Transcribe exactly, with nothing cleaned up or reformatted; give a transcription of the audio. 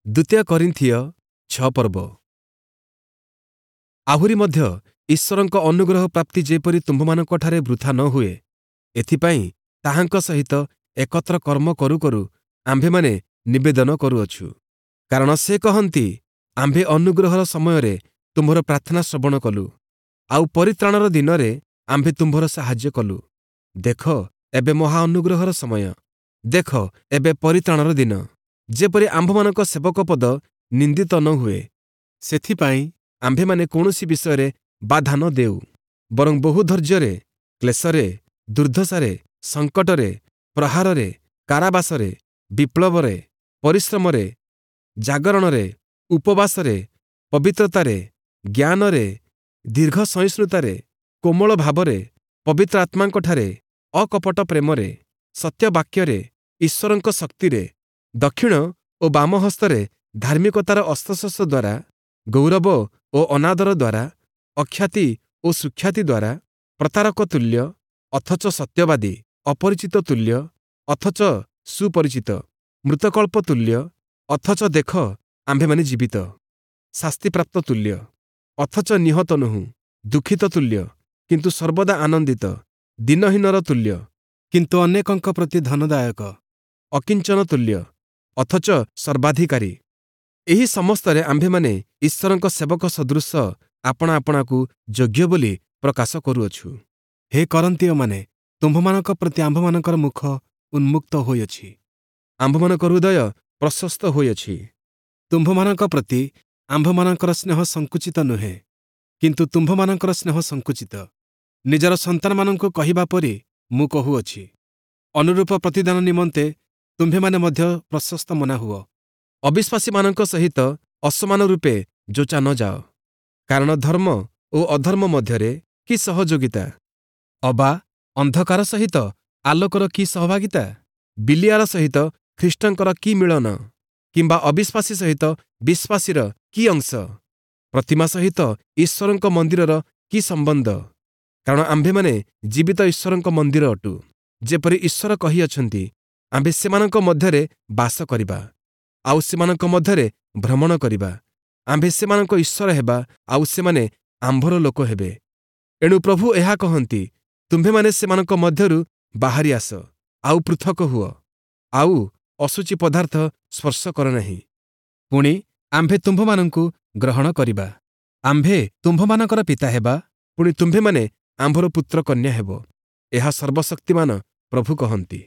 ଦ୍ୱିତୀୟ କରିନ୍ଥୀୟ ଛଅ ପର୍ବ। ଆହୁରି ମଧ୍ୟ ଈଶ୍ୱରଙ୍କ ଅନୁଗ୍ରହ ପ୍ରାପ୍ତି ଯେପରି ତୁମ୍ଭମାନଙ୍କଠାରେ ବୃଥା ନ ହୁଏ, ଏଥିପାଇଁ ତାହାଙ୍କ ସହିତ ଏକତ୍ର କର୍ମ କରୁ କରୁ ଆମ୍ଭେମାନେ ନିବେଦନ କରୁଅଛୁ। କାରଣ ସେ କହନ୍ତି, ଆମ୍ଭେ ଅନୁଗ୍ରହର ସମୟରେ ତୁମ୍ଭର ପ୍ରାର୍ଥନା ଶ୍ରବଣ କଲୁ, ଆଉ ପରିତ୍ରାଣର ଦିନରେ ଆମ୍ଭେ ତୁମ୍ଭର ସାହାଯ୍ୟ କଲୁ। ଦେଖ, ଏବେ ମହା ଅନୁଗ୍ରହର ସମୟ, ଦେଖ, ଏବେ ପରିତ୍ରାଣର ଦିନ। ଯେପରି ଆମ୍ଭମାନଙ୍କ ସେବକ ପଦ ନିନ୍ଦିତ ନ ହୁଏ, ସେଥିପାଇଁ ଆମ୍ଭେମାନେ କୌଣସି ବିଷୟରେ ବାଧା ନ ଦେଉ, ବରଂ ବହୁ ଧୈର୍ଯ୍ୟରେ, କ୍ଲେଶରେ, ଦୁର୍ଦ୍ଦଶାରେ, ସଙ୍କଟରେ, ପ୍ରହାରରେ, କାରାବାସରେ, ବିପ୍ଳବରେ, ପରିଶ୍ରମରେ, ଜାଗରଣରେ, ଉପବାସରେ, ପବିତ୍ରତାରେ, ଜ୍ଞାନରେ, ଦୀର୍ଘ ସହିଷ୍ଣୁତାରେ, କୋମଳ ଭାବରେ, ପବିତ୍ର ଆତ୍ମାଙ୍କଠାରେ, ଅକପଟ ପ୍ରେମରେ, ସତ୍ୟ ବାକ୍ୟରେ, ଈଶ୍ୱରଙ୍କ ଶକ୍ତିରେ, ଦକ୍ଷିଣ ଓ ବାମ ହସ୍ତରେ ଧାର୍ମିକତାର ଅସ୍ତ୍ରଶସ୍ତ୍ର ଦ୍ୱାରା, ଗୌରବ ଓ ଅନାଦର ଦ୍ୱାରା, ଅଖ୍ୟାତି ଓ ସୁଖ୍ୟାତି ଦ୍ୱାରା, ପ୍ରତାରକ ତୁଲ୍ୟ ଅଥଚ ସତ୍ୟବାଦୀ, ଅପରିଚିତ ତୁଲ୍ୟ ଅଥଚ ସୁପରିଚିତ, ମୃତକଳ୍ପ ତୁଲ୍ୟ ଅଥଚ ଦେଖ ଆମ୍ଭେମାନେ ଜୀବିତ, ଶାସ୍ତିପ୍ରାପ୍ତ ତୁଲ୍ୟ ଅଥଚ ନିହତ ନୋହୁଁ, ଦୁଃଖିତ ତୁଲ୍ୟ କିନ୍ତୁ ସର୍ବଦା ଆନନ୍ଦିତ, ଦୀନହୀନର ତୁଲ୍ୟ କିନ୍ତୁ ଅନେକଙ୍କ ପ୍ରତି ଧନଦାୟକ, ଅକିଞ୍ଚନ ତୁଲ୍ୟ ଅଥଚ ସର୍ବାଧିକାରୀ। ଏହି ସମସ୍ତରେ ଆମ୍ଭେମାନେ ଈଶ୍ୱରଙ୍କ ସେବକ ସଦୃଶ ଆପଣା ଆପଣାକୁ ଯୋଗ୍ୟ ବୋଲି ପ୍ରକାଶ କରୁଅଛୁ। ହେ କରିନ୍ଥୀୟମାନେ, ତୁମ୍ଭମାନଙ୍କ ପ୍ରତି ଆମ୍ଭମାନଙ୍କର ମୁଖ ଉନ୍ମୁକ୍ତ ହୋଇଅଛି, ଆମ୍ଭମାନଙ୍କ ହୃଦୟ ପ୍ରଶସ୍ତ ହୋଇଅଛି। ତୁମ୍ଭମାନଙ୍କ ପ୍ରତି ଆମ୍ଭମାନଙ୍କର ସ୍ନେହ ସଙ୍କୁଚିତ ନୁହେଁ, କିନ୍ତୁ ତୁମ୍ଭମାନଙ୍କର ସ୍ନେହ ସଙ୍କୁଚିତ। ନିଜର ସନ୍ତାନମାନଙ୍କୁ କହିବା ପରି ମୁଁ କହୁଅଛି। ଅନୁରୂପ ପ୍ରତିଦାନ ନିମନ୍ତେ ତୁମ୍ଭେମାନେ ମଧ୍ୟ ପ୍ରଶସ୍ତ ମନା ହୁଅ। ଅବିଶ୍ୱାସୀମାନଙ୍କ ସହିତ ଅସମାନ ରୂପେ ଯୋଚା ନ ଯାଅ। କାରଣ ଧର୍ମ ଓ ଅଧର୍ମ ମଧ୍ୟରେ କି ସହଯୋଗିତା? ଅବା ଅନ୍ଧକାର ସହିତ ଆଲୋକର କି ସହଭାଗିତା? ବିଲିଆର ସହିତ ଖ୍ରୀଷ୍ଟଙ୍କର କି ମିଳନ? କିମ୍ବା ଅବିଶ୍ୱାସୀ ସହିତ ବିଶ୍ୱାସୀର କି ଅଂଶ? ପ୍ରତିମା ସହିତ ଈଶ୍ୱରଙ୍କ ମନ୍ଦିରର କି ସମ୍ବନ୍ଧ? କାରଣ ଆମ୍ଭେମାନେ ଜୀବିତ ଈଶ୍ୱରଙ୍କ ମନ୍ଦିର ଅଟୁ। ଯେପରି ଈଶ୍ୱର କହିଅଛନ୍ତି, ଆମ୍ଭେ ସେମାନଙ୍କ ମଧ୍ୟରେ ବାସ କରିବା, ଆଉ ସେମାନଙ୍କ ମଧ୍ୟରେ ଭ୍ରମଣ କରିବା। ଆମ୍ଭେ ସେମାନଙ୍କ ଈଶ୍ୱର ହେବା, ଆଉ ସେମାନେ ଆମ୍ଭର ଲୋକ ହେବେ। ଏଣୁ ପ୍ରଭୁ ଏହା କହନ୍ତି, ତୁମ୍ଭେମାନେ ସେମାନଙ୍କ ମଧ୍ୟରୁ ବାହାରି ଆସ, ଆଉ ପୃଥକ ହୁଅ, ଆଉ ଅଶୁଚି ପଦାର୍ଥ ସ୍ପର୍ଶ କର ନାହିଁ। ପୁଣି ଆମ୍ଭେ ତୁମ୍ଭମାନଙ୍କୁ ଗ୍ରହଣ କରିବା, ଆମ୍ଭେ ତୁମ୍ଭମାନଙ୍କର ପିତା ହେବା, ପୁଣି ତୁମ୍ଭେମାନେ ଆମ୍ଭର ପୁତ୍ର କନ୍ୟା ହେବ। ଏହା ସର୍ବଶକ୍ତିମାନ ପ୍ରଭୁ କହନ୍ତି।